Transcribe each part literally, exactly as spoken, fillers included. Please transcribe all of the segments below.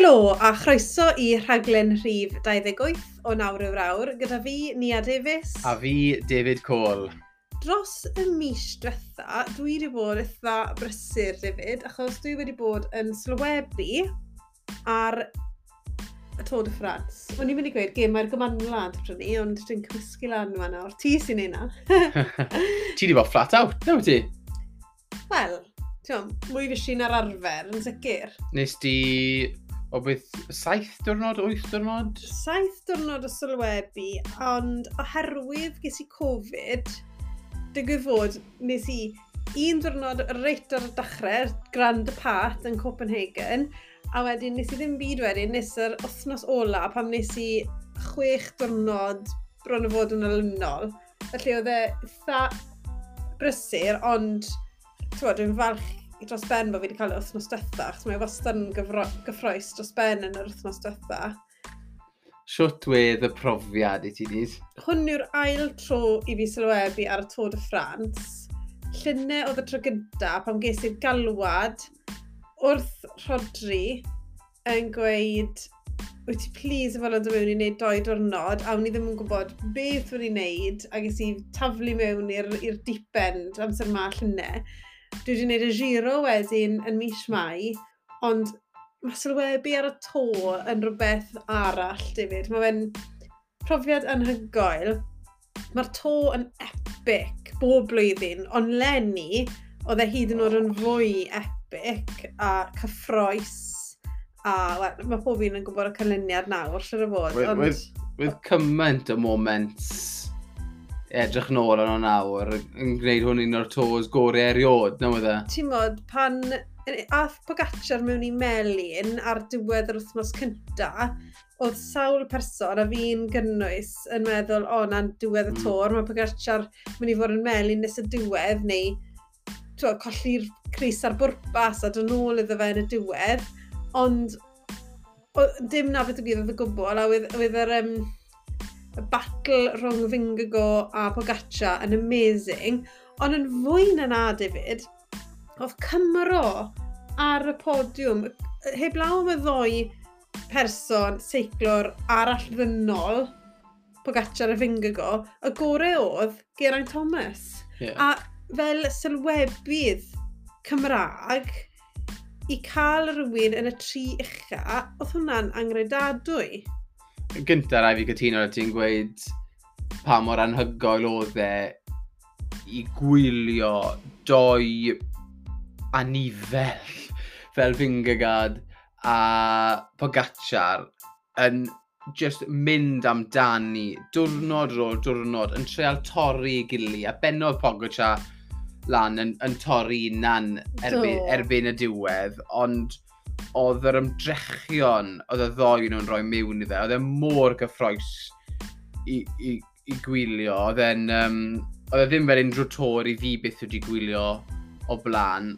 Helo a chroeso i rhaglen rhif dau ddeg wyth o Nawr yw'r Awr gyda fi, Nia Davies. A fi, David Cole. Dros y mis diwetha, dwi wedi bod eitha brysur, David, achos dwi wedi bod yn sylwebu ar y Tour de France. O'n i'n mynd i gweud gemau'r Gymanwlad pryd ni, ond dwi'n cymysgu lan yma nawr. Ti sy'n neud na. Ti wedi bod flat out, na wyt ti? Wel, ti'n mwy fysi na'r arfer, yn sicr. Nes di, o beth, saith diwrnod, wyth diwrnod? Saith diwrnod o sylwebu, ond oherwydd ges i Covid, digwydd fod nes i un diwrnod reit ar y dechrau, Grand Depart yn Copenhagen, a wedyn nes i ddim byd wedyn, nes yr wythnos ola pam nes i chwech diwrnod bron o fod yn olynol. Felly oedd e eitha brysur, ond t'wod, dwi'n falch i dros ben bod fi wedi cael yr wythnos diwetha, achos mae wastad yn gyfro- gyffrous dros ben yn yr wythnos diwetha. Shwt wedd y profiad i ti nid? Hwn yw'r ail tro i fi sylwebu ar y Tour de France. Llynedd oedd y tro gynta pan ges i'r galwad wrth Rhodri yn gweud, wyt ti please yn fodlon dod mewn i wneud doi diwrnod, a o'n i ddim yn gwybod beth o'n i'n wneud, a ges i taflu mewn i'r i'r deep end amser ma llynedd. Dwi wedi gwneud y Giro wedyn yn mis Mai, ond mae sylwebu ar y Tour yn rhywbeth arall, David. Mae fe'n profiad anhygoel. Mae'r Tour yn epic bob blwyddyn, ond leni oedd e hyd yn oed yn fwy epic a cyffrous. A wel, mae pob un yn gwybod y canlyniad nawr, siŵr o fod. With, Ond with, with cymaint o moments edrych nôl arno nawr yn gwneud hwn un o'r tours gorau eriod, na wedd e? Ti'n modd, pan ath Pogacar mewn i melyn ar diwedd yr wythnos cynta, oedd sawl person, a fi'n gynnwys, yn meddwl, o, na'n diwedd y Mm. Tour, mae Pogacar mynd i fod yn melyn nes y diwedd, neu t'wod, colli'r crys ar bwrpas a dod nôl iddo fe yn y diwedd, ond o, dim na beth o gyd oedd y gwbl, a oedd, oedd yr um, y battle rhwng Vingegaard a Pogacar yn amazing, ond yn fwy na na, David, oedd Cymro ar y podiwm, heblaw am y ddoi person seiclwr arall ddynol, Pogacar a Vingegaard, y gorau oedd Geraint Thomas. Yeah. A fel sylwebydd Cymraeg, i cael rhywun yn y tri ucha, oedd hwnna'n angredadwy. Gynta rai fi cytuno ar ti'n gweud pa mor anhygoel oedd e i gwylio doi anifel fel Vingegaard a Pogacar yn just mynd amdani diwrnod ar ôl diwrnod yn treial torri ei gili, a bennodd Pogacar lan yn, yn torri hunan erbyn, Do. erbyn y diwedd, ond oedd yr ymdrechion oedd y ddoi nhw'n rhoi mewn iddo, oedd e mor gyffrous i, i, i gwylio, oedd e'n, um, oedd e ddim fel unrhyw Tour i fi byth wedi gwylio o blaen.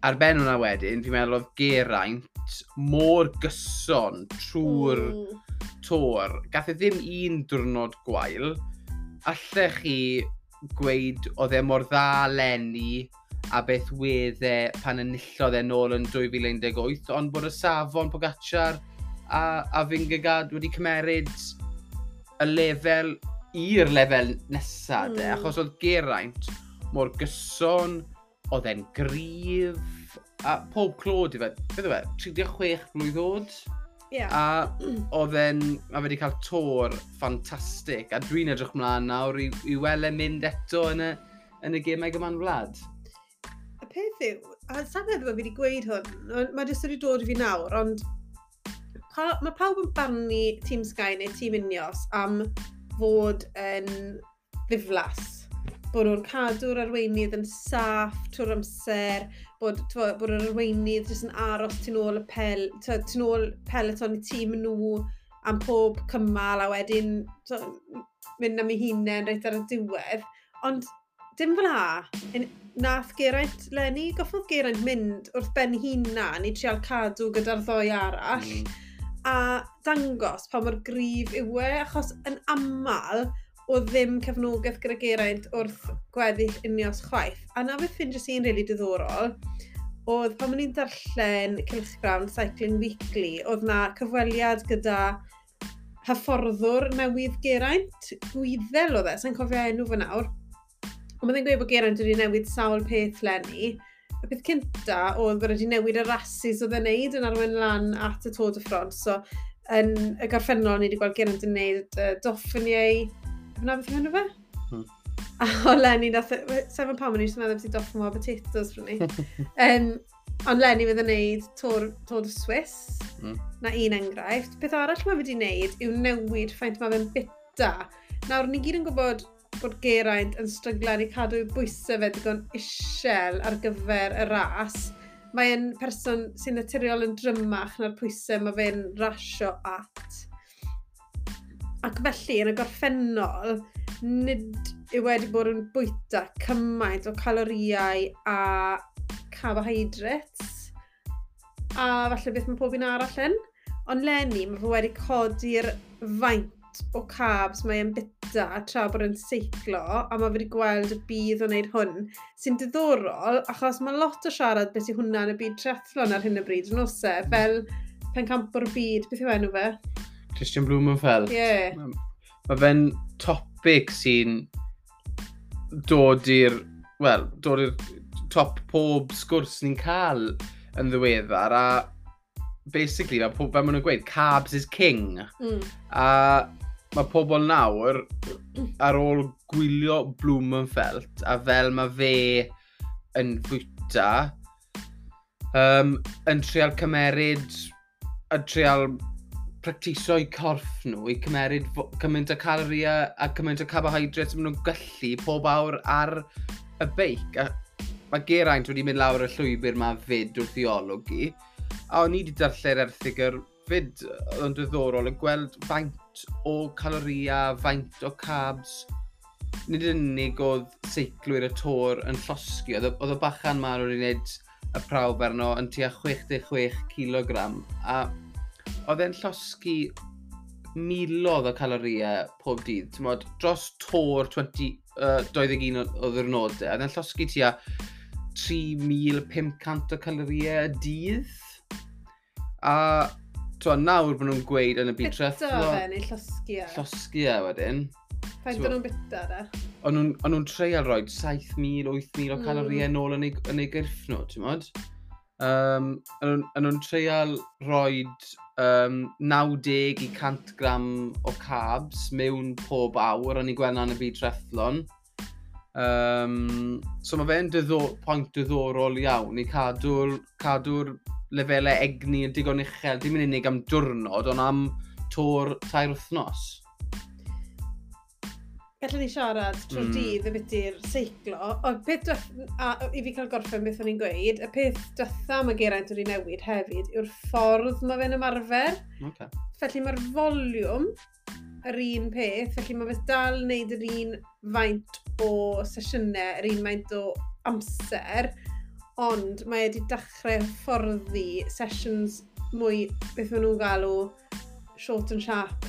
Ar ben hwnna wedyn, fi'n meddwl oedd Geraint mor gyson trwy'r Mm. Tour. Gath e ddim un diwrnod gwael. Allech chi gweud oedd e mor dda leni a beth wedd e pan enillodd e nôl yn dwy fil un deg wyth, ond bod y safon Pogacar a, a Vingegaard wedi cymeryd y lefel i'r lefel nesaf, mm. de, Mm. achos oedd Geraint mor gyson, oedd e'n gryf, a pob clod i fe, beth yw e, tri deg chwech blwydd oed? Ie. A oedd e'n, mae fe wedi cael Tour ffantastig, a dwi'n edrych mlaen nawr i, i weld e'n mynd eto yn y, yn y gemau Gymanwlad. Y peth yw, a sa'n meddwl bod fi wedi gweud hwn, ond mae jyst wedi dod i fi nawr, ond pa, mae pawb yn barnu Team Sky neu Team Ineos am fod yn ddiflas. Bod nhw'n cadw'r arweinydd yn saff trwy'r amser, bod, t'wo, bod yr arweinydd jyst yn aros tu nôl y pel, t'wo, tu nôl peloton i tîm nhw am pob cymal a wedyn, t'wo, mynd am ei hunain reit ar y diwedd. Ond dim fel 'na. Un- Nath Geraint leni, goffodd Geraint mynd wrth ben hunan i trial cadw gyda'r ddoi arall Mm. a dangos pa mor gryf yw e, achos yn aml o ddim cefnogaeth gyda Geraint wrth gweddill Ineos chwaith. A na beth ffindies i'n rili diddorol, oedd pan o'n i'n darllen cylchgrawn Cycling Weekly, oedd na cyfweliad gyda hyfforddwr newydd Geraint, Gwyddel oedd e, sa'n cofio enw fe nawr. Ond mae'n gweud bod Geraint wedi newid sawl peth leni. Y peth cynta oedd bod wedi newid y rhasys oedd e'n neud yn arwain lan at y Tour de France. So, yn y gorffennol, ni wedi gweld Geraint yn neud uh, Dauphiné. Fyna beth yw enw fe? Hmm. A o leni, nath, sef yn pam o'n i jyst yn meddwl beth i Dauphinois potatoes rhwng ni. um, ond leni fydd yn neud Tour, Tour de Suisse, Mm. na un enghraifft. Peth arall mae wedi wneud yw newid ffaint mae fe'n bita. Nawr, ni gyd yn gwybod bod Geraint yn stryglan i cadw ei bwysau fe digon isel ar gyfer y ras. Mae'n person sy'n naturiol yn drymach na'r pwysau mae fe'n rasio at. Ac felly, yn y gorffennol, nid yw wedi bod yn bwyta cymaint o caloriau a carbohydrates a falle beth mae pob un arall yn. Ond leni, mae fe wedi codi'r faint o carbs mae'n bita tra bod yn seiclo, a mae wedi gweld y budd o wneud hwn, sy'n diddorol, achos mae lot o siarad beth yw hwnna yn y byd triathlon ar hyn o bryd, yn oes e, fel pencampwr y byd, beth yw enw fe? Kristian Blummenfelt. Ie. Yeah. Mae fe'n topic sy'n dod i'r, wel, dod i'r top pob sgwrs ni'n cael yn ddiweddar, a basically, mae pob, fel maen nhw'n gweud, carbs is king. Mm. A mae pobl nawr, ar ôl gwylio Blummenfelt, a fel mae fe yn fwyta, um, yn trial cymeryd, a trial practiso eu corff nhw i cymeryd fo- cymaint o caloria a cymaint o carbohydrates maen nhw'n gallu pob awr ar y beic. A mae Geraint wedi mynd lawr y llwybr ma fyd wrth i olwg i. A o'n i wedi darllen erthygl fyd, oedd yn diddorol, yn gweld faint o caloria, faint o carbs. Nid yn unig oedd seiclwyr y Tour yn llosgi, oedd y- oedd y bachan ma wedi gwneud y prawf arno yn tua chwe deg chwech kilogram. A oedd e'n llosgi miloedd o caloriau pob dydd. T'mod, dros Tour twenty, uh, dau ddeg un o, o ddiwrnodau, oedd e'n llosgi tua tri mil pum cant o caloriau y dydd. A t'mo, nawr bod nhw'n gweud yn y byd Bita triathlon, fe neu llosgi e? Llosgi e wedyn. Faint o'n nhw'n bita da? O'n nhw'n o'n nhw'n treial rhoi saith mil, wyth mil o Mm. caloriau nôl yn ei, yn ei gyrff nhw, ti'n modd? Um, o'n nhw'n- o'n nhw'n treial rhoi um, naw deg i cant gram o carbs mewn pob awr, o'n i'n gweld 'na yn y byd triathlon. Um, so mae fe'n diddo, pwynt diddorol iawn i cadw'r cadw'r lefelau egni yn digon uchel, dim yn unig am diwrnod, ond am Tour tair wythnos. Gallwn ni siarad trwy'r Mm. mm. dydd y beth seiclo. O, peth dweth, a, i fi cael gorffen beth o'n i'n gweud, y peth diwetha mae Geraint wedi newid hefyd yw'r ffordd mae fe'n ymarfer. Okay. Felly mae'r foliwm yr un peth, felly mae fe dal yn neud yr un faint o sesiynau, yr un faint o amser, ond mae wedi dechrau hyfforddi sessions mwy, beth maen nhw'n galw, short and sharp,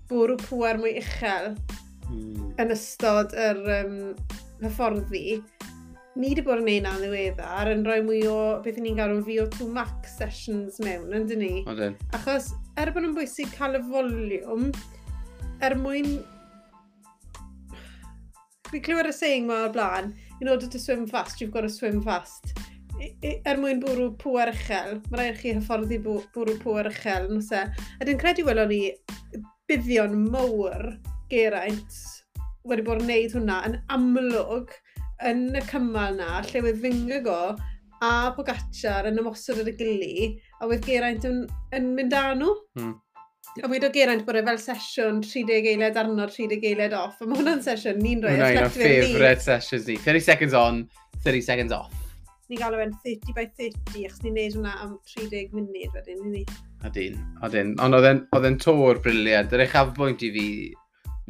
bwrw pŵer mwy uchel Mm. yn ystod yr um, hyfforddi. Ni wedi bod yn neud na'n ddiweddar yn rhoi mwy o beth ni'n galw'n V O two max sessions mewn, yn dyn ni? Odyn. Achos er bod nhw'n bwysig cael y foliwm, er mwyn... Fi clywed y saying ma o'r blaen, "In order to swim fast, you've got to swim fast." I, i, er mwyn bwrw pŵer uchel, mae rhaid i chi hyfforddi bw- bwrw pŵer uchel, nos e. A dwi'n credu welon ni buddion mawr Geraint wedi bod yn neud hwnna yn amlwg yn y cymal na, lle wedd Vingegaard a Pogacar yn ymosod ar y gili, a wedd Geraint yn, yn mynd â nhw. Mm. A wedodd Geraint bod e fel sesiwn tri deg eiliad arno, tri deg eiliad off. A mae hwnna'n sesiwn ni'n rhoi Hwnna un o athletwyr ni. favourite sessions ni. thirty seconds on, thirty seconds off. Ni'n galw fe'n thirty by thirty, achos ni'n neud hwnna am tri deg munud wedyn, ni. Odyn, odyn. Ond oedd e'n- oedd e'n Tour brilliant. Yr uchafbwynt i fi,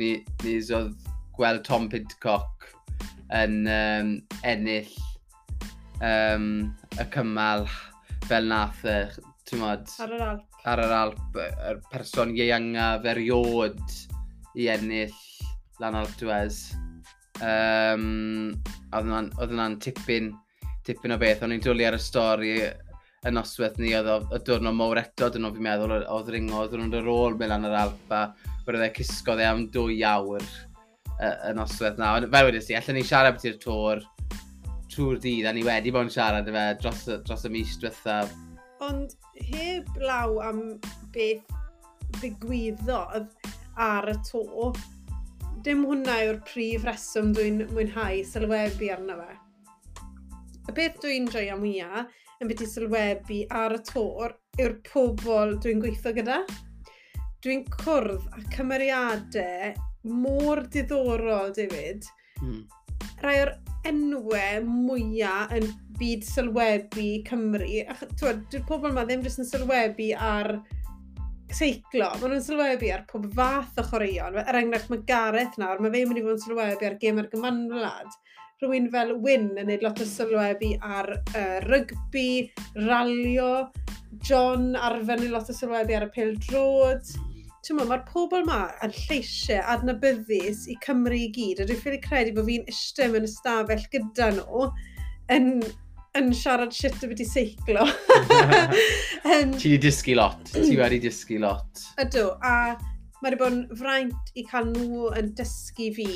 ni, ni oedd gweld Tom Pidcock yn um, ennill um, y cymal fel nath, e, ti'n modd, Ar yr Alp. Ar yr Alp, y person ieuangaf erioed i ennill lan Alpe d'Huez. Um, oedd hwnna'n oedd hwnna'n tipyn, Tipyn o beth, o'n i'n dwlu ar y stori y noswaith ni, oedd y diwrnod mowr eto, dyn nhw fi'n meddwl, oedd ringo, oedd nhw'n ar ôl mynd lan yr Alp, a wedodd e cysgodd e am dwy awr y, y noswaith na. Ond fel wedes i, allan ni siarad beth i'r Tour trwy'r dydd, a ni wedi bod yn siarad efe dros, dros y mis diwethaf. Ond heb law am beth ddigwyddodd ar y Tour, dim hwnna yw'r prif reswm dwi'n mwynhau sylwebu arno fe. Y peth dwi'n joio mwyaf yn beth i sylwebu ar y Tour yw'r pobl dwi'n gweithio gyda. Dwi'n cwrdd â cymeriadau mor diddorol, David. Hmm. Rai o'r enwau mwyaf yn byd sylwebu Cymru. Ach, twyd, dyw'r pobl yma ddim jyst yn sylwebu ar seiclo, maen nhw'n sylwebu ar pob fath o chwaraeon. Er enghraifft, mae Gareth nawr, mae fe'n mynd i fod yn sylwebu ar Gemau'r Gymanwlad. Rhywun fel Wyn yn gwneud lot o sylwebu ar uh, rygbi, ralio, John arfer yn lot o sylwebu ar y pêl-droed. Ti'n meddwl, mae'r pobl yma yn lleisiau adnabyddus i Cymru i gyd, a dwi'n ffili credu bod fi'n eistedd mewn ystafell gyda nhw yn, yn siarad shit o beth i seiclo. um, Ti wedi dysgu lot, ti wedi dysgu lot. Ydw, a mae wedi bod yn fraint i cael nhw yn dysgu fi,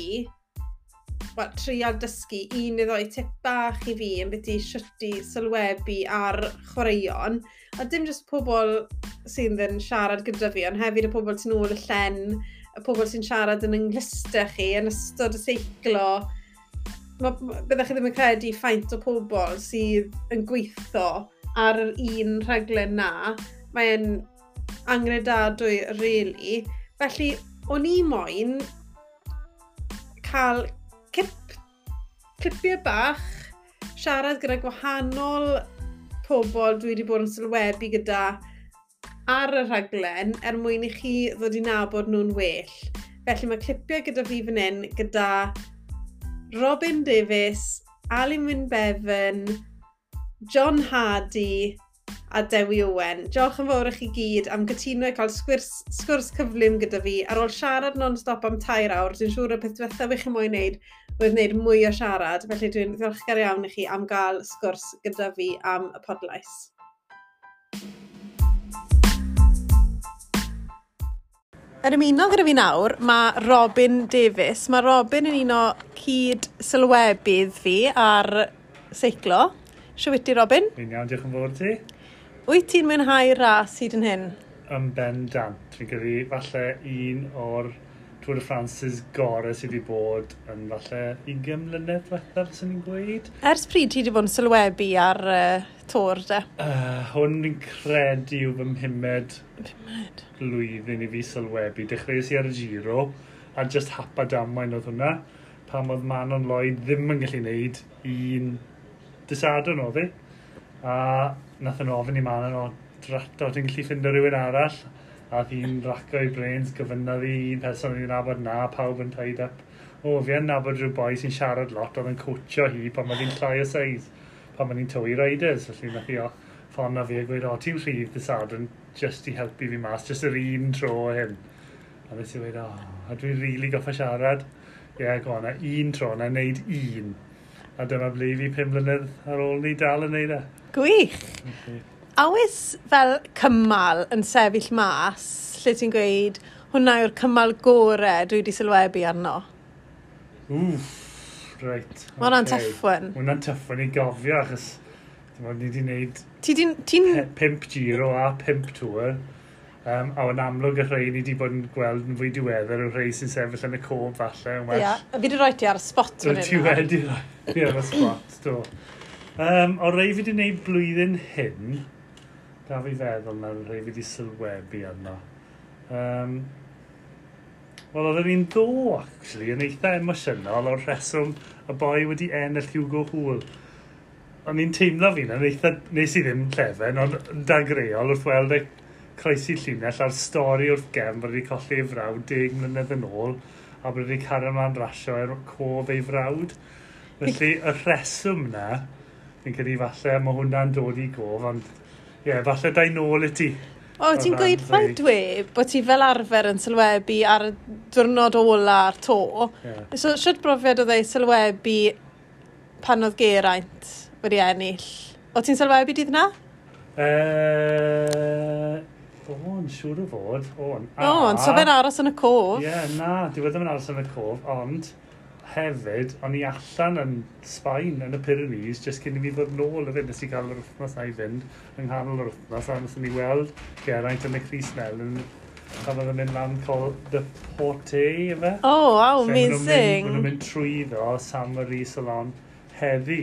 wel, trial dysgu un neu ddoi tip bach i fi yn beth i shwt i sylwebu ar chwaraeon. A dim jyst pobl sydd yn siarad gyda fi, ond hefyd y pobl sy'n ôl y llen, y pobl sy'n siarad yn yng chi, yn ystod y seiclo. Byddech chi ddim yn credu ffaint o pobl sydd yn gweithio ar yr un rhaglen na. Mae'n angredadwy, really. Felly, o'n i moyn cael cip, clipiau bach, siarad gyda gwahanol pobl dwi wedi bod yn sylwebu gyda ar y rhaglen er mwyn i chi ddod i nabod nhw'n well. Felly mae clipiau gyda fi fan hyn gyda Robin Davies, Alun Wyn Bevan, John Hardy a Dewi Owen. Diolch yn fawr i chi gyd am gytuno i cael sgwrs, sgwrs cyflym gyda fi. Ar ôl siarad non-stop am tair awr, dwi'n siŵr y peth diwethaf i chi moyn wneud oedd wneud mwy o siarad. Felly dwi'n ddiolchgar iawn i chi am gael sgwrs gyda fi am y podlais. Yn ymuno gyda fi nawr, mae Robin Davies. Mae Robin yn un o cyd sylwebydd fi ar seiclo. Shwt wyt ti, Robin? Fi'n iawn, diolch yn fawr ti. Wyt ti'n mwynhau ras hyd yn hyn? Yn bendant. Fi'n credu falle un o'r Tour de France's gorau sydd wedi bod yn falle ugain mlynedd diwethaf, sy'n ni'n gweud. Ers pryd ti wedi bod yn sylwebu ar uh, Tour, de? Uh, hwn fi'n credu yw fy mhumed Pumed. blwyddyn i fi sylwebu. Dechreuais i ar y Giro, a just hap a damwain oedd hwnna, pam oedd Manon Lloyd ddim yn gallu gwneud un dydd Sadwrn oedd hi. A nath nhw ofyn i Manon, o, drato, ti'n gallu ffindo rhywun arall? A oedd hi'n raco ei brains, gofynnodd i un person o'n i'n nabod na, pawb yn tied up. O, fi yn nabod rhyw boi sy'n siarad lot, oedd yn coachio hi pan oedd hi'n llai o seis, pan oedd hi'n tywi riders. Felly nath hi o ffono fi a gweud, o, ti'n rhydd dydd Sadwrn just i helpu fi mas, just yr un tro hyn. A nes i weud, o, a dwi'n rili really goffa siarad. Ie, yeah, go on, a un tro, na wneud un. A dyma ble fi pum mlynedd ar ôl ni dal yn neud e. Gwych! Okay. A oes fel cymal yn sefyll mas, lle ti'n gweud, hwnna yw'r cymal gore dwi wedi sylwebu arno? Wff, reit. Mae hwnna'n tough one. Mae hwnna'n tough one i gofio, achos dim ond ni wedi gwneud Ti di'n... Ti'n... pump Giro a pump Tour. Um, a yn amlwg y rhai ni wedi bod yn gweld yn fwy diweddar yw'r rhai sy'n sefyll yn y cof falle yn well. Ia, yeah, fi wedi rhoi ti ar y spot fan hyn. Ti wedi rhoi fi ar y spot, do. Um, o rei fi wedi gwneud blwyddyn hyn, da fi feddwl nawr rhai fi wedi sylwebu arno. Um, Wel, oedd yr un ddo, actually, yn eitha emosiynol o'r rheswm y boi wedi ennill Hugo Houle. O'n i'n teimlo fi yn eitha, nes i ddim llefen, ond dagreol wrth weld e croesi llinell a'r stori wrth gefn bod wedi colli ei frawd deg mlynedd yn ôl a bod wedi cario ymlaen rasio er cof ei frawd. Felly, y rheswm na, fi'n credu falle mae hwnna'n dod i gof, ond ie, yeah, falle dau nôl i ti. O, ti'n gweud fel dwe bod ti fel arfer yn sylwebu ar y diwrnod ola'r Tour. Yeah. So, shwt brofiad oedd ei sylwebu pan oedd Geraint wedi ennill. O ti'n sylwebu dydd na? Uh, o, yn siŵr o fod. O'n. O, ond so fe'n aros yn y cof. Ie, yeah, na, dyw e ddim yn aros yn y cof, ond hefyd, o'n i allan yn Sbaen, yn y Pyrenees, jyst cyn i fi ddod nôl hefyd, nes i gael yr wythnos na i fynd, yng nghanol yr wythnos, a nes i weld Geraint yn y crys melyn, pan oedd yn mynd lan Col de Porte, ife? Oh, wow, amazing. Maen nhw'n mynd trwyddo Saint-Marie-Salon heddi,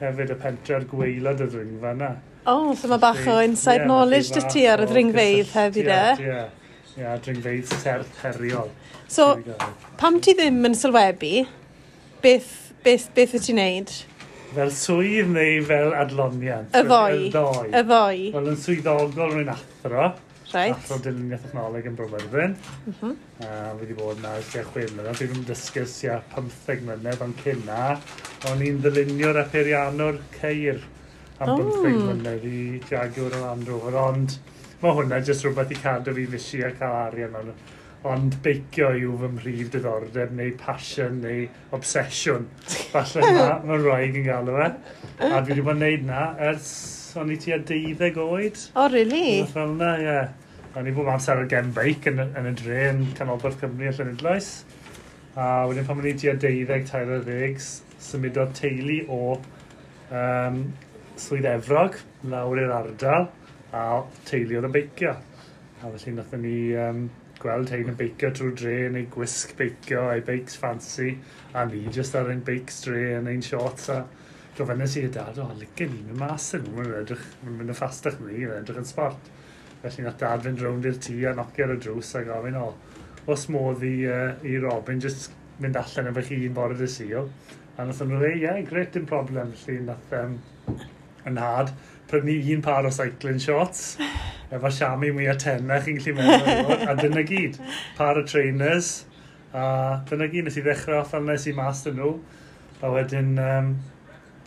hefyd y pentre'r gwaelod y ddringfa yna. Oh, so mae bach o inside yeah, knowledge dy ti ar y ddringfeydd hefyd e? Ie, ie, dringfeydd serth heriol. So, pam ti ddim yn sylwebu, beth, beth, beth wyt ti'n neud? Fel swydd neu fel adloniant? Y ddoi. Y ddoi. Y ddoi. Wel, yn swyddogol rwy'n athro. Right. Athro dyluniad technoleg yn Bro Myrddin. Mm -hmm. Uh, fi wedi bod yna ers tua chwe mlynedd. Fi wedi dysgu tua pymtheg mlynedd, ond cyn na, o'n i'n ddyluniwr a peiriannwr ceir am oh. bymtheg mlynedd i Jaguar a Land Rover, ond mae hwnna jyst rhywbeth i cadw fi fysi a cael arian mewn. Ond beicio yw fy mhrif diddordeb, neu passion, neu obsesiwn. Falle mae ma rhaid yn galw fe. A dwi wedi bod yn neud na ers o'n i tua deuddeg oed. Oh, really? Rhywbeth fel yna, ie. O'n i bob amser ar gen beic yn, yn y dre yn Canolbarth Cymru a Llanidloes. A wedyn pan o'n i tua deuddeg, tair ar ddeg, symudodd teulu o um, Swydd Efrog lawr i'r ardal, a teulu oedd yn beicio. A felly nathon ni um, gweld hein yn beicio trwy dre yn ei gwisg beicio, ei beics fancy, a ni jyst ar ein beics dre yn ein shorts a gofynnes i dad, o, licen ni mynd mas yn nhw, mae'n edrych, mae'n mynd yn ffastach ni, mae'n edrych yn sport. Felly nath dad fynd rownd i'r tŷ a nocio ar y drws a gofyn, o, os modd i, uh, i Robin jyst mynd allan efo chi un bore dy Sul. A nath nhw ddweud, ie, yeah, great, dim problem. Felly nath um, yn nhad prynu un par o cycling shorts, efo siami mwy o tenau chi'n gallu meddwl, a dyna gyd. Par o trainers, a dyna gyd, nes i ddechrau off fel nes i mas dyn nhw. A wedyn um,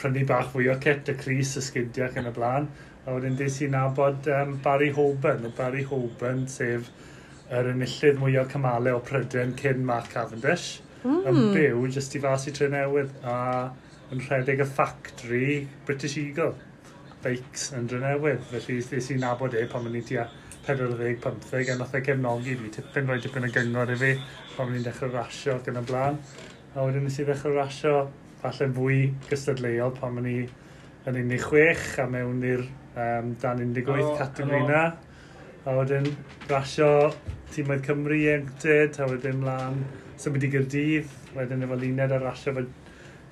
prynu bach fwy o kit, y crys, y sgidiau ac yn y blaen. A wedyn des i nabod um, Barry Hoban, Barry Hoban, sef yr enillydd mwyaf cymalau o Prydain cyn Mark Cavendish, mm. yn byw jyst i fas i Drenewydd a yn rhedeg y factory British Eagle bikes yn Drenewydd. Felly des i nabod e pan o'n i tua pedwar deg pymtheg a nath e gefnogi fi tipyn, rhoi tipyn o gyngor i fi pan o'n i'n dechrau rasio ac yn y blaen. A wedyn nes i ddechrau rasio falle fwy gystadleuol pan o'n i yn un deg chwech a mewn i'r um, dan un deg wyth categori na. A wedyn rasio tîmoedd Cymru ieuenctid, a wedyn mlaen symud i Gaerdydd, wedyn efo Luned a rasio efo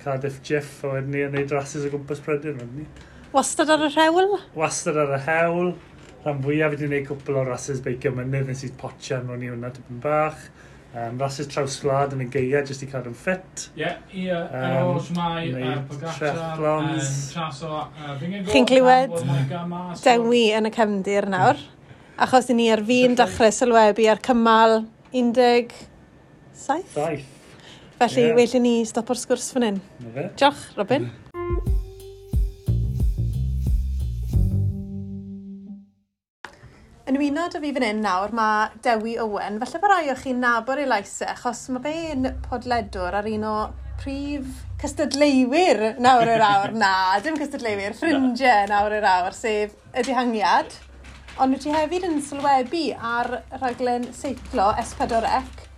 Cardiff Jiff, a wedyn ni yn neud rhasys o gwmpas Prydain, wedyn ni. Wastad ar yr hewl? Wastad ar y hewl. Rhan fwyaf wedi gwneud cwpl o rasys beicio mynydd, nes i potsian mewn i hwnna tipyn bach. Um, rasys trawsgwlad yn y gaea, jyst i cadw'n ffit. Ie, ie, um, Shwmae, Pogacar, Traso, Chi'n clywed Dewi yn y cefndir nawr, achos i ni ar fin dechrau sylwebu ar cymal un deg saith. Saith. Felly, yeah. well i ni stopo'r sgwrs fan hyn. Diolch, Robin. Yn ymuno â fi fan hyn nawr, mae Dewi Owen. Falle bod rai o chi'n nabod ei lais e, achos mae fe'n podledwr ar un o prif cystadleuwyr nawr yr awr. Na, dim cystadleuwyr, ffrindiau nawr yr awr, sef y Dihangiad. Ond wyt ti hefyd yn sylwebu ar rhaglen seiclo S pedwar C.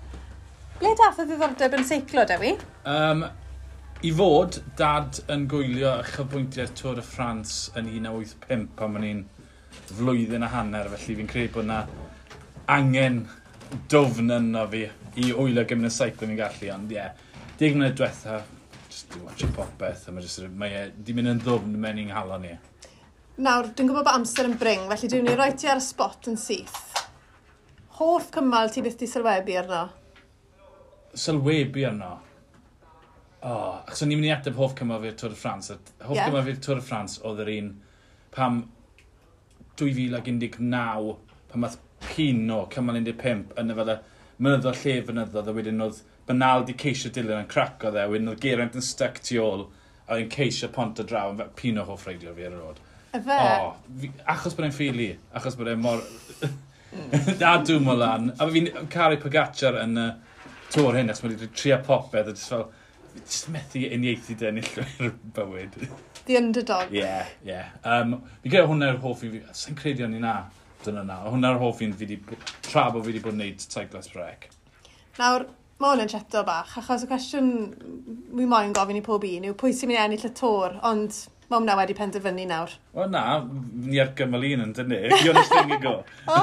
Ble dath y ddiddordeb yn seiclo, Dewi? Um, I fod, dad yn gwylio uchafbwyntiau'r Tour de France yn un naw wyth pump pan o'n i'n flwyddyn a hanner, felly fi'n credu bod yna angen dwfn yno fi i wylio gymaint o seiclo fi'n gallu, ond ie, yeah, deg mlynedd diwetha, just i watch popeth, a mae just, mae e di mynd yn ddwfn mewn i'n nghalon i. Nawr, dwi'n gwybod bod amser yn bring, felly dwi'n mynd i roi ti ar y spot yn syth. Hoff cymal ti byth di sylwebu arno? Sylwebu arno? O, oh, achos o'n i'n mynd i ateb hoff cymal fi'r Tour de France. Hoff yeah. cymal fi'r Tour de France oedd yr un pam dwy fil ac un deg naw, pan nath Pino cymal un deg pump yn y fel y mynyddodd lle fynyddodd, a wedyn oedd Bernal di ceisio dilyn yn craco dde, wedyn oedd Geraint yn stuck tu ôl, a oedd yn ceisio pont o draw, yn Pino hoff reidiwr fi ar y rôd. Efe? O, fi, achos bod e'n ffili, achos bod e'n mor... A dwi'n mor lan. A fi'n caru Pogacar yn y Tour hyn, achos mae wedi trio popeth, a jyst fel, Just methu uniaethu dy enillwyr bywyd. The underdog. Ie, yeah, ie. Yeah. Um, fi credu hwnna'r hoff un fi... Sa'n credu o'n i na, dyna na. Hwnna'r hoff un fi di... Tra bod fi wedi bod yn neud Cyclist Brec. Nawr, mae hwn yn cheto bach, achos y cwestiwn wi moyn gofyn i pob un yw pwy sy'n mynd i ennill y Tour, ond mae hwnna wedi penderfynu nawr. O na, ni ar gymal un yn dynnu. Jonas Vingegaard. O,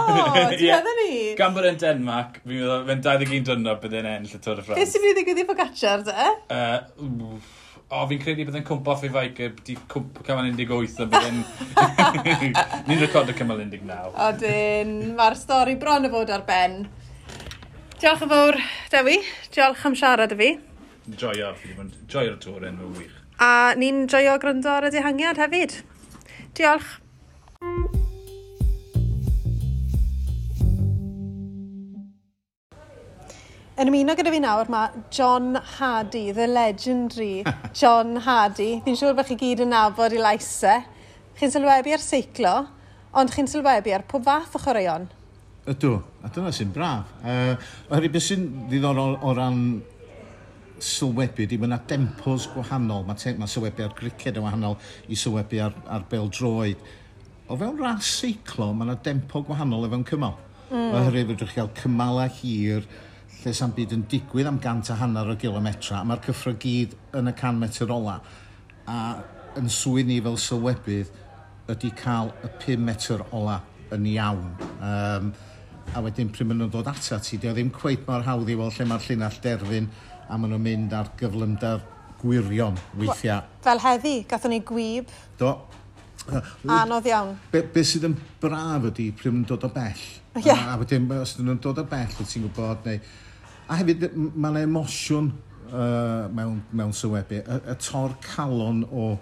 ti'n meddwl ni? Gan bod e'n Denmark, fi'n meddwl, fe'n dau ddeg un diwrnod bydd e'n ennill y Tour de France. Beth sy'n mynd i ddigwydd i Pogacar, de? Uh, o, fi'n credu bydd e'n cwmpo off ei feic, di cwmpo cymal un deg wyth a bydd e'n... Ni'n recordo cymal un deg naw. Odyn, mae'r stori bron o fod ar ben. Diolch yn fawr, Dewi. Diolch am siarad â fi. Joio, fi wedi bod yn joio'r Tour yn fy wych. A ni'n joio gwrando ar y dihangiad hefyd. Diolch. Yn ymuno gyda fi nawr mae John Hardy, the legendary John Hardy. Fi'n siŵr bod chi gyd yn nabod ei lais e. Chi'n sylwebu ar seiclo, ond chi'n sylwebu ar pob fath o chwaraeon. Ydw, a dyna sy'n braf. Uh, oherwydd beth sy'n ddiddorol o ran sylwebu, di mae yna tempos gwahanol. Mae, te, mae sylwebu ar griced yn wahanol i sylwebu ar, ar bêl-droed. O fewn ras seiclo, mae yna tempo gwahanol o fewn cymal. Mm. Oherwydd fedrwch chi gael cymalau hir, lle sa'm byd yn digwydd am gant a hanner o gilometra, a mae'r cyffro gyd yn y can metr ola. A yn swydd ni fel sylwebydd ydy cael y pum metr ola yn iawn. Um, a wedyn pryd maen nhw'n dod atat ti, dio ddim cweit mor hawdd i weld lle mae'r llinell derfyn, a maen nhw'n mynd ar gyflymder gwirion weithiau. Fel heddi, gathon ni gwyb. Do. Anodd iawn. Be, be sydd yn braf ydy pryd maen nhw'n dod o bell. Yeah. A, a wedyn, os ydyn nhw'n dod o bell, wyt ti'n gwybod, neu... A hefyd, mae yna emosiwn uh, mewn, mewn sylwebu. Y, y tor calon o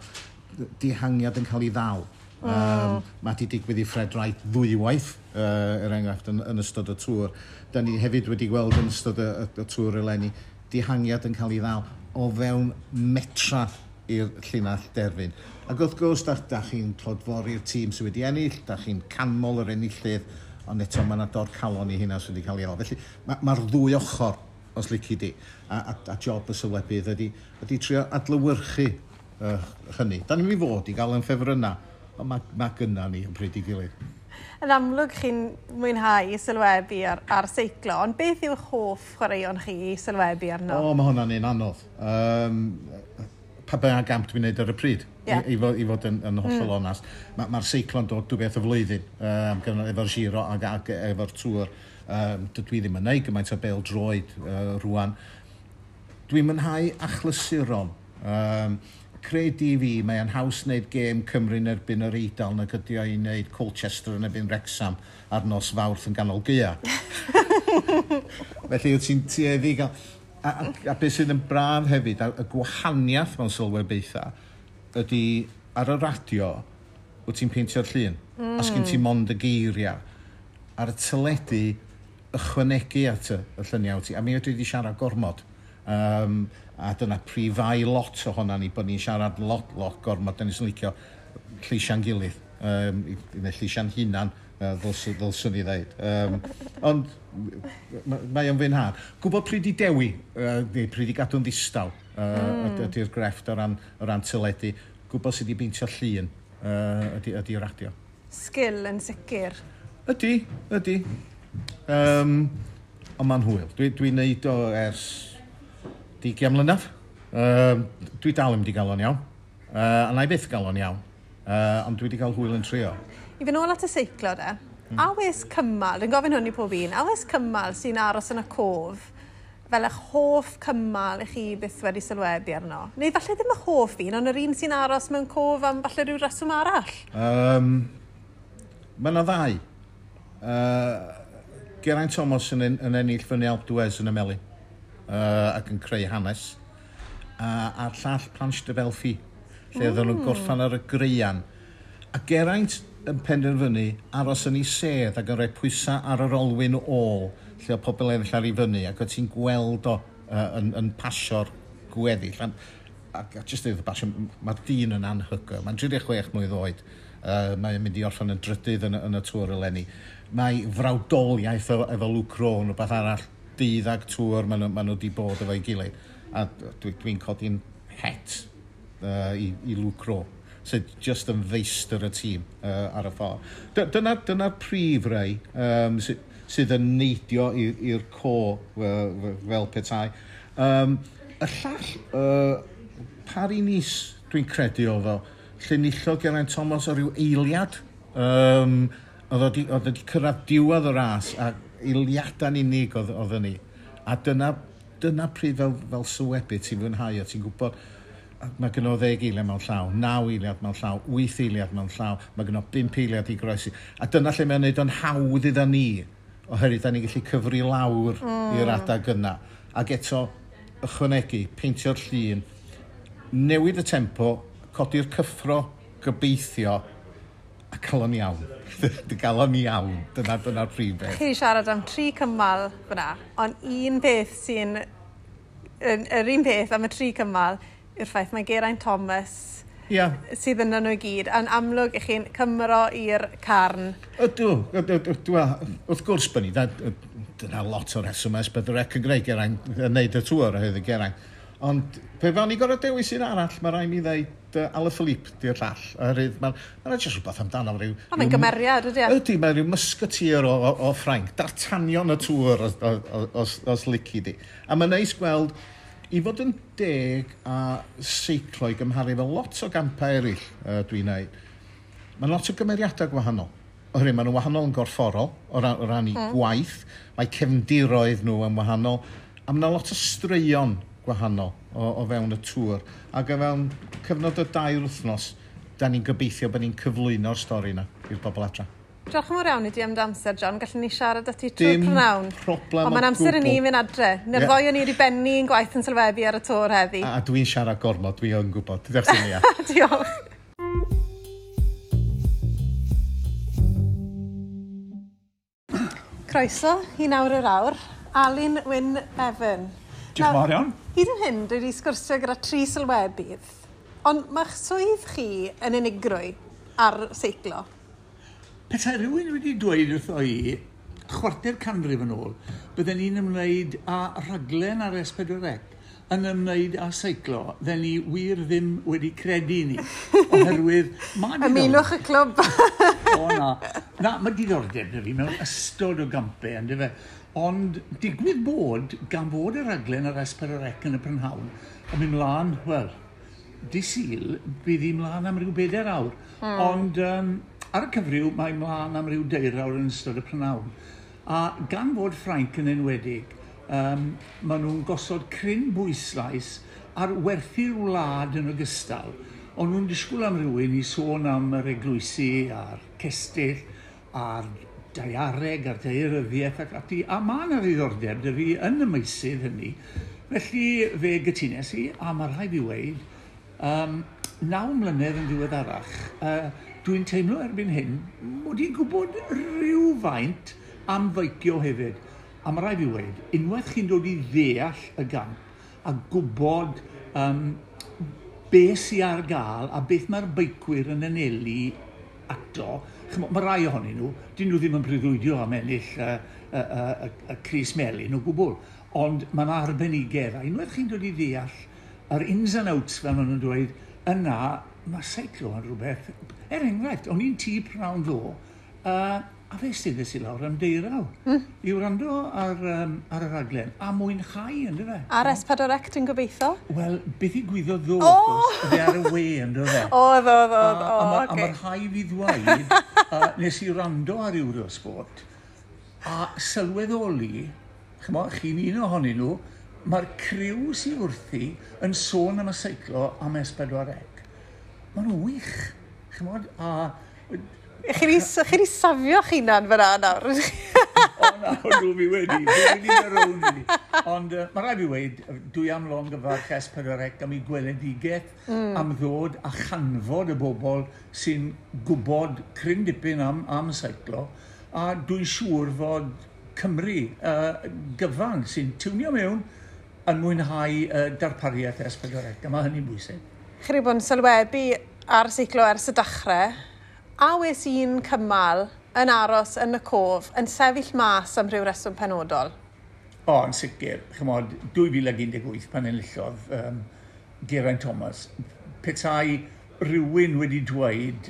dihangiad yn cael ei ddal. Mm. Um, mae di digwydd i Fred Wright ddwywaith, uh, er enghraifft, yn, yn ystod y Tour. Da ni hefyd wedi gweld yn ystod y, y, y Tour eleni, dihangiad yn cael ei ddal o fewn metra i'r llinell derfyn. Ac wrth gwrs, da, da chi'n clodfori'r tîm sydd wedi ennill, da chi'n canmol yr enillydd, ond eto mae yna dor calon i hynna sydd wedi cael ei ddal. Felly mae'r ma ddwy ochr, os lici di, a, a, a job y sylwebydd ydy, ydy trio adlewyrchu uh, hynny. Da ni'n mynd i fod i gael yn ffefrynnau, ond mae, mae gynna ni yn pryd i gilydd. Yn amlwg chi'n mwynhau sylwebu ar, ar seiclo, ond beth yw'ch hoff chwaraeon chi i sylwebu arno? O, mae hwnna'n un anodd. Um, pa bynnag gamp dwi'n neud ar y pryd, yeah. i, i, fod, i fod yn, yn hollol mm. onast. Mae'r ma seiclo'n dod dwy beth y flwyddyn, um, efo'r Giro ac, ac efo'r Tour. Um, dydw i ddim yn neud gymaint o bêl-droed uh, rwan. Dwi'n mwynhau achlysuron. Um, credu fi, mae'n haws wneud gêm Cymru yn erbyn yr Eidal nag ydi o i wneud Colchester yn erbyn Wrexham ar nos Fawrth yn ganol gaea. Felly wyt ti'n tueddu i gael... A, a, a beth sydd yn braf hefyd, a, y gwahaniaeth mewn sylwebaethau, ydy ar y radio, wyt ti'n peintio'r llun. Mm. A sgyn ti mond y geiriau. Ar y teledu, ychwanegu at y, y lluniau ti. A mi ydw i wedi siarad gormod. Um, a dyna prif fai lot ohona ni, bod ni'n siarad lot, lot gormod. Da ni'n licio lleisiau'n gilydd, um, neu lleisiau'n hunan, uh, ddylswn, ddylswn i ddeud. Um, ond mae o'n fwynhad. Gwybod pryd i dewi, uh, neu pryd i gadw'n ddistaw, uh, mm. ydy'r grefft o ran, o ran teledu. Gwybod sydd wedi beintio llun uh, ydy, ydy radio. Sgil yn sicr. Ydy, ydy. Um, ond mae'n hwyl. Dwi'n dwi neud o ers deugain mlynedd. Um, dwi dal ddim wedi gael o'n iawn. Uh, a na i byth gael o'n iawn. Uh, ond dwi wedi cael hwyl yn trio. I fynd nôl at y seiclo de, mm. a oes cymal, dwi'n gofyn hwn i pob un, a oes cymal sy'n aros yn y cof fel eich hoff cymal i chi byth wedi sylwebu arno? Neu falle ddim eich hoff un, ond yr un sy'n aros mewn cof am falle rhyw reswm arall? Um, mae yna ddau. Uh, Geraint Thomas yn, yn ennill fyny Alpe d'Huez yn y Melin uh, ac yn creu hanes. Uh, a'r llall Planche de Belfi, lle mm. oedden nhw'n gorffan ar y greian. A Geraint yn penderfynu aros yn ei sedd ac yn rhoi pwysau ar yr olwyn ôl lle oedd pobl eraill ar ei fyny ac oedd ti'n gweld o uh, yn, yn pasio'r gweddill. A, a, a just dweud y pasio, mae'r dyn yn anhygoel. Mae'n tri deg chwech mlwydd oed. Uh, mae'n mynd i orffen yn drydydd yn, yn y Tour eleni. Mae frawdoliaeth efo, efo Luke Rowe yn rhywbeth arall, dydd ag Tour, maen nhw, maen nhw wedi bod efo'i gilydd. A dwi'n dwi codi'n het uh, i, i Luke Rowe, sydd just yn feistr y tîm uh, ar y ffordd. Dyna'r dyna prif rei um, sydd, sydd yn neidio i'r co uh, fel petai. Um, y llall, uh, Paris-Nice, dwi'n credu oedd o, lle nillodd Geraint Thomas o ryw eiliad. Um, oedd o wedi cyrraedd diwedd y ras a eiliadau'n unig oedd, oedd ni. A dyna dyna pryd fel, fel sylwebu ti'n fwynhau a ti'n gwybod mae gynno ddeg eiliad mewn llaw, naw eiliad mewn llaw, wyth eiliad mewn llaw, mae gynno bump eiliad i groesi. A dyna lle mae'n neud o'n hawdd idda ni, oherwydd da ni'n gallu cyfri lawr mm. i'r adag yna. Ac eto, ychwanegu, peintio'r llun, newid y tempo, codi'r cyffro, gobeithio, a cael o'n iawn. Gael o'n iawn. Dyna, dyna'r prif beth. Chi siarad am tri cymal fyna, ond un peth sy'n... Yr un peth am y tri cymal yw'r ffaith mae Geraint Thomas yeah. sydd yna nhw i gyd, a'n amlwg i chi'n cymro i'r carn. Ydw, ydw, ydw, wrth gwrs bod ni, dyna lot o'r rheswm S pedwar C yn gwneud Geraint, yn neud y tŵr oherwydd Geraint. Ond pe fawn i gorfod dewis un arall, mae rhaid mi ddeud uh, Alaphilippe di'r llall. Oherwydd mae'n ma jyst rhywbeth amdano. Rhyw, o, mae'n gymeriad, ydy e? Ydy, mae'n rhyw musketeer o, o, o Ffrainc. D'Artagnan y tŵr os, os, os, os lici di. A mae'n neis gweld, i fod yn deg a seiclo i gymharu fel lot o gampau eraill uh, dwi'n neud, mae'n lot o gymeriadau gwahanol. Oherwydd maen nhw'n wahanol yn gorfforol o ran, o ran i mm. gwaith, mae cefndiroedd nhw yn wahanol, a mae yna lot o straeon gwahanol o, o fewn y tŵr. Ac o fewn cyfnod o dair wythnos, da ni'n gobeithio bod ni'n cyflwyno'r stori yna i'r bobl adra. Diolch yn fawr iawn i di am dy amser, John. Gallwn ni siarad â ti trwy'r prynhawn. Dim problem o Ond mae'n amser i ni mynd adre. Neu'r yeah. ddoi o'n i wedi benni yn gwaith yn sylwebu ar y tŵr heddi. A, a dwi'n siarad gormod, dwi yn gwybod. Diolch i ni. Diolch. Croeso i nawr yr awr. Alun Wyn Evan. Diolch yn fawr iawn. Hyd yn hyn, dwi wedi sgwrsio gyda tri sylwebydd, ond mae'ch swydd chi yn unigrwy ar seiclo. Petai rhywun wedi dweud wrtho i chwarter canrif yn ôl, bydden ni'n ymwneud â rhaglen ar S pedwar C yn ymwneud â seiclo, dden ni wir ddim wedi credu ni, oherwydd... Ymunwch y clwb! O na. Na, mae diddordeb na fi mewn ystod o gampau, yndyfe. Ond digwydd bod, gan fod y rhaglen ar S pedwar C yn y prynhawn, yn mynd mlaen, wel, di Sul, bydd hi mlaen am ryw bedair awr. Mm. Ond um, ar y cyfryw, mae mlaen am ryw deir awr yn ystod y prynhawn. A gan fod Ffrainc yn enwedig, um, maen nhw'n gosod cryn bwyslais ar werthu'r wlad yn ogystal. Ond nhw'n disgwyl am rhywun i sôn am yr eglwysi a'r cestyll a'r daeareg a'r daearyddiaeth ac ati, a mae yna ddiddordeb dy fi yn y meysydd hynny. Felly fe gytunes i, a mae rhaid fi weud, um, naw mlynedd yn ddiweddarach, uh, dwi'n teimlo erbyn hyn, mod i'n gwybod rhywfaint am feicio hefyd. A mae rhaid fi weud, unwaith chi'n dod i ddeall y gamp a gwybod um, beth sydd ar gael a beth mae'r beicwyr yn anelu ato, mae rai ohonyn nhw, dyn nhw ddim yn breuddwydio am ennill y, y, y, y crys melyn o gwbl, ond mae yna arbenigedd, a unwaith chi'n dod i ddeall yr ins and outs, fel maen nhw'n dweud, yna mae seiclo yn rhywbeth. Er enghraifft, o'n i'n tŷ prynhawn ddo, uh, a fe steddes i lawr am deiraw mm. i wrando ar, um, ar y raglen, a mwynhau, ynddo fe? Ar S pedwar C, ti'n gobeithio? Wel, beth i gwyddo ddo, oh! Fe ar y we, ynddo fe? O, ddo, ddo, ddo, a, a, a mae rhai fi ddweud, uh, nes i wrando ar Eurosport, a sylweddoli, ch'mo, chi'n un ohonyn nhw, mae'r criw sydd wrthi yn sôn am y seiclo am S pedwar C. Maen nhw'n wych, ch'mod, a... Chi wedi safio chi'na'n fyna nawr. O na, nhw fi wedi. Fi wedi mynd rownd i. Ond uh, mae rhaid fi weud, dwi am longyfarch S pedwar C am ei gweledigaeth, mm. am ddod a chanfod y bobl sy'n gwybod cryn dipyn am, am seiclo. A dwi'n siŵr fod Cymru uh, gyfan sy'n tiwnio mewn yn mwynhau uh, darpariaeth S pedwar C. A mae hynny'n bwysig. Chi wedi bod yn sylwebu ar seiclo ers y dechrau, a wes un cymal yn aros yn y cof, yn sefyll mas am rhyw reswm penodol? O, O, yn sicr. Chymod, dwy fil ag un deg wyth pan enillodd um, Geraint Thomas, petai rhywun wedi dweud,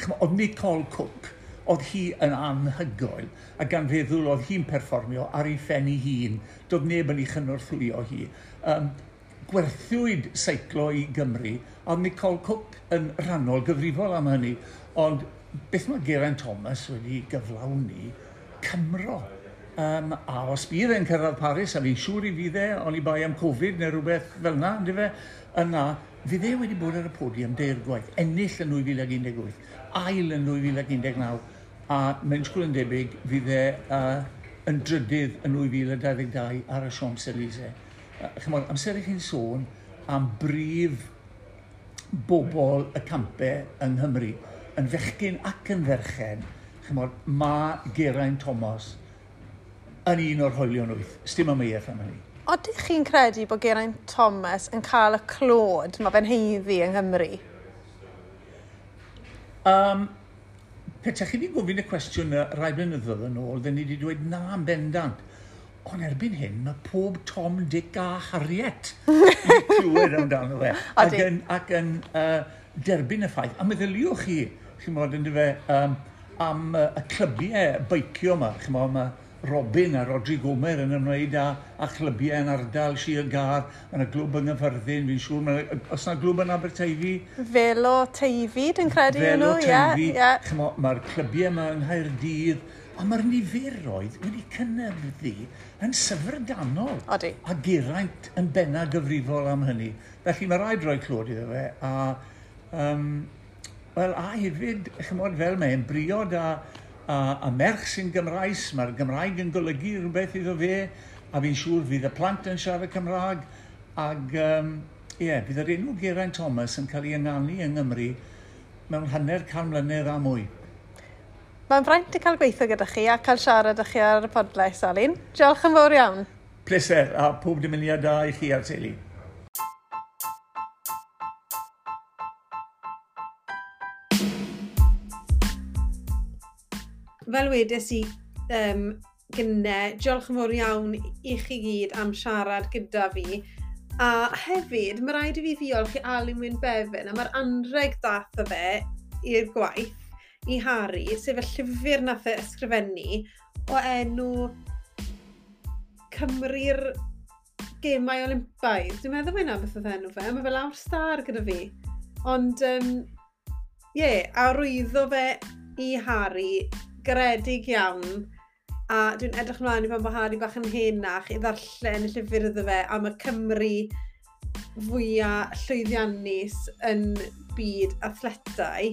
chymod, oedd Nicole Cooke, oedd hi yn anhygoel, a gan feddwl oedd hi'n perfformio ar ei phen ei hun, doedd neb yn ei chynorthwyo hi. Um, gwerthwyd seiclo i Gymru, a oedd Nicole Cooke yn rhannol gyfrifol am hynny, ond beth mae Geraint Thomas wedi gyflawni? Cymro. Um, a os bydd e'n cyrraedd Paris, a fi'n siŵr i fydd e, ond i bai am Covid neu rhywbeth fel yna, ynddo fe, yna, fydd e wedi bod ar y podiwm deir gwaith, ennill yn dwy fil ag un deg wyth, ail yn dwy fil ag un deg naw, a mewn sgwl yn debyg, fydd e uh, yn drydydd yn dwy fil a dau ddeg dau ar y Champs-Élysées. Uh, chymod, amser i chi'n sôn am brif bobl y campau yng Nghymru, yn fechgyn ac yn ferchen, chymod, mae Geraint Thomas yn un o'r hoelion wyth. Sdim amheuaeth am hynny. Odych chi'n credu bod Geraint Thomas yn cael y clod mae fe'n haeddu yng Nghymru? Um, Petaech chi wedi gofyn y cwestiwn rai blynyddoedd yn ôl, dden ni wedi dweud na yn bendant. Ond erbyn hyn, mae pob Tom, Dick a Harriet yn clywed amdano fe. Ac yn, ac yn uh, derbyn y ffaith. A meddyliwch chi, chi'n bod yn dyfe, um, am uh, y clybiau beicio yma. Chi'n bod, mae Robin a Rodri Gomer yn ymwneud â, â chlybiau yn ardal Sir Gâr, yn y glwb yng Nghaerfyrddin, fi'n siŵr, ma, os yna glwb yn Aberteifi? Velo Teifi, dwi'n credu Velo nhw, Teifi, ie. Yeah. Mae'r clybiau yma yng Nghaerdydd, a mae'r niferoedd wedi cynyddu yn syfrdanol. Odi. A Geraint yn benna gyfrifol am hynny. Felly mae rhaid rhoi clod iddo fe, a, um, wel, a hefyd, chymod, fel mae'n briod a A, a merch sy'n Gymraes, mae'r Gymraeg yn golygu rhywbeth iddo fe, a fi'n siŵr fydd y plant yn siarad Cymraeg, ac um, ie, bydd yr enw Geraint Thomas yn cael ei ynganu yng Nghymru mewn hanner can mlynedd a mwy. Mae'n fraint i cael gweithio gyda chi a cael siarad â chi ar y podlediad, Alun. Diolch yn fawr iawn. Pleser, a pob dymuniad da i chi a'r teulu. Fel wedes i um, gynne, diolch yn fawr iawn i chi gyd am siarad gyda fi. A hefyd, mae rhaid i fi ddiolch i Alun Wyn Bevan am yr anrheg dath o fe i'r gwaith i Harry, sef y llyfr nath e ysgrifennu o enw Cymru'r Gemau Olympaidd. Dwi'n meddwl mae hynna beth oedd enw fe, mae fe lawr star gyda fi. Ond, um, ie, yeah, a rwyddo fe i Harry garedig iawn, a dwi'n edrych ymlaen i pan bod Harry bach yn henach i ddarllen y llyfr iddo fe am y Cymru fwyaf llwyddiannus yn byd athletau,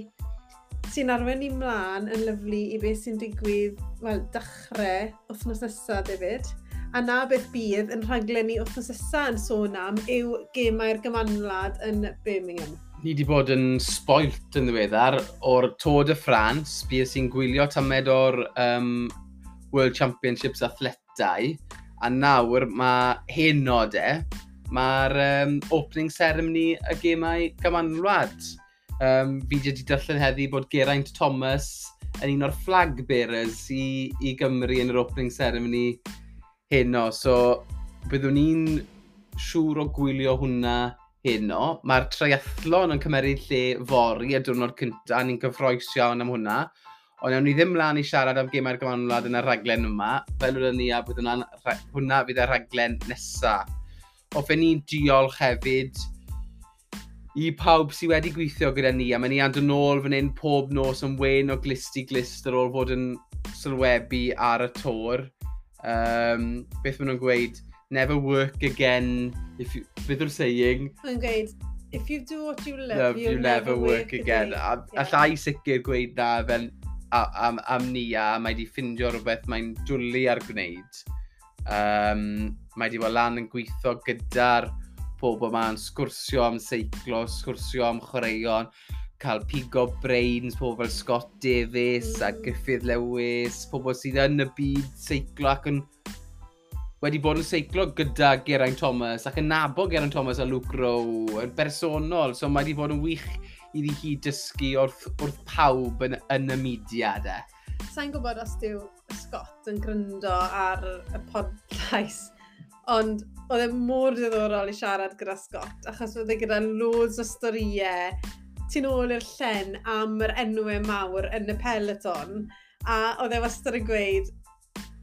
sy'n arwain ni mlaen yn lyflu i beth sy'n digwydd, wel, dechrau wythnos nesaf, David. A na beth bydd yn rhaglen ni wythnos nesaf yn sôn am yw Gemau'r Gymanwlad yn Birmingham. Ni wedi bod yn spoilt yn ddiweddar o'r Tour de France, bues i'n gwylio tamed o'r um, World Championships athletau, a nawr mae heno de, mae'r um, opening ceremony y Gemau Gymanwlad. Um, fi wedi darllen heddi bod Geraint Thomas yn un o'r flag bearers i, i Gymru yn yr opening ceremony heno. So byddwn ni'n siŵr o gwylio hwnna heno. Mae'r triathlon yn cymeryd lle fory y diwrnod cyntaf, ni'n gyffrous iawn am hwnna. Ond nawn ni ddim mlaen i siarad am Gemau'r Gymanwlad yn y rhaglen yma, fel wnawn ni a bydd hwnna'n, hwnna fydd y rhaglen nesaf. Hoffen ni'n diolch hefyd i pawb sydd wedi gweithio gyda ni, a mae ni yn dod nôl fan hyn pob nos yn wen o glust i glust ar ôl fod yn sylwebu ar y Tour. Um, beth maen nhw'n gweud? Never work again, if you, beth yw'r saying? Mae'n gweud, if you do what you love, love you'll you never never work again. again. A, Yeah. Alla i sicr gweud na fel a, am, am ni a mae di ffindio rhywbeth mae'n dwlu ar gwneud. Um, mae di bod lan yn gweithio gyda'r pobl yma'n sgwrsio am seiclo, sgwrsio am chwaraeon, cael pigo brains, pobl fel Scott Davies mm. a Griffith Lewis, pobl sydd yn y byd seiclo ac yn wedi bod yn seiclo gyda Geraint Thomas ac yn nabod Geraint Thomas a Luke Rowe yn bersonol, so mae wedi bod yn wych iddi hi dysgu wrth, wrth pawb yn, yn y mudiad e. Sa'n gwybod os dyw Scott yn gryndo ar y pod, llais. Ond oedd e mor diddorol i siarad gyda Scott, achos oedd e gyda loads o storïau tu nôl i'r llen am yr enwau mawr yn y peloton. A oedd e wastad yn gweud,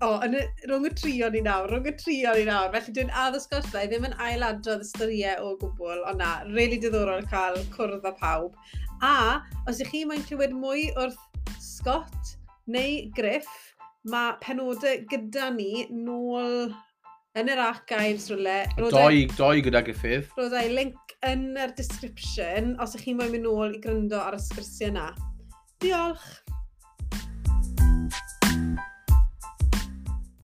"O, yn y, rhwng y tri o'n ni nawr, rhwng y tri o'n ni nawr." Felly dwi'n addo Scott fe, ddim yn ailadrodd y storïau o gwbl, ond na, really diddorol cael cwrdd â pawb. A, os ych chi moyn clywed mwy wrth Scott neu Griff, mae penodau gyda ni nôl yn yr archives rhywle. Doi, doi gyda Griffith. Roedd link yn yr description os ych chi'n moyn mynd nôl i gryndo ar y sgyrsiau yna. Diolch!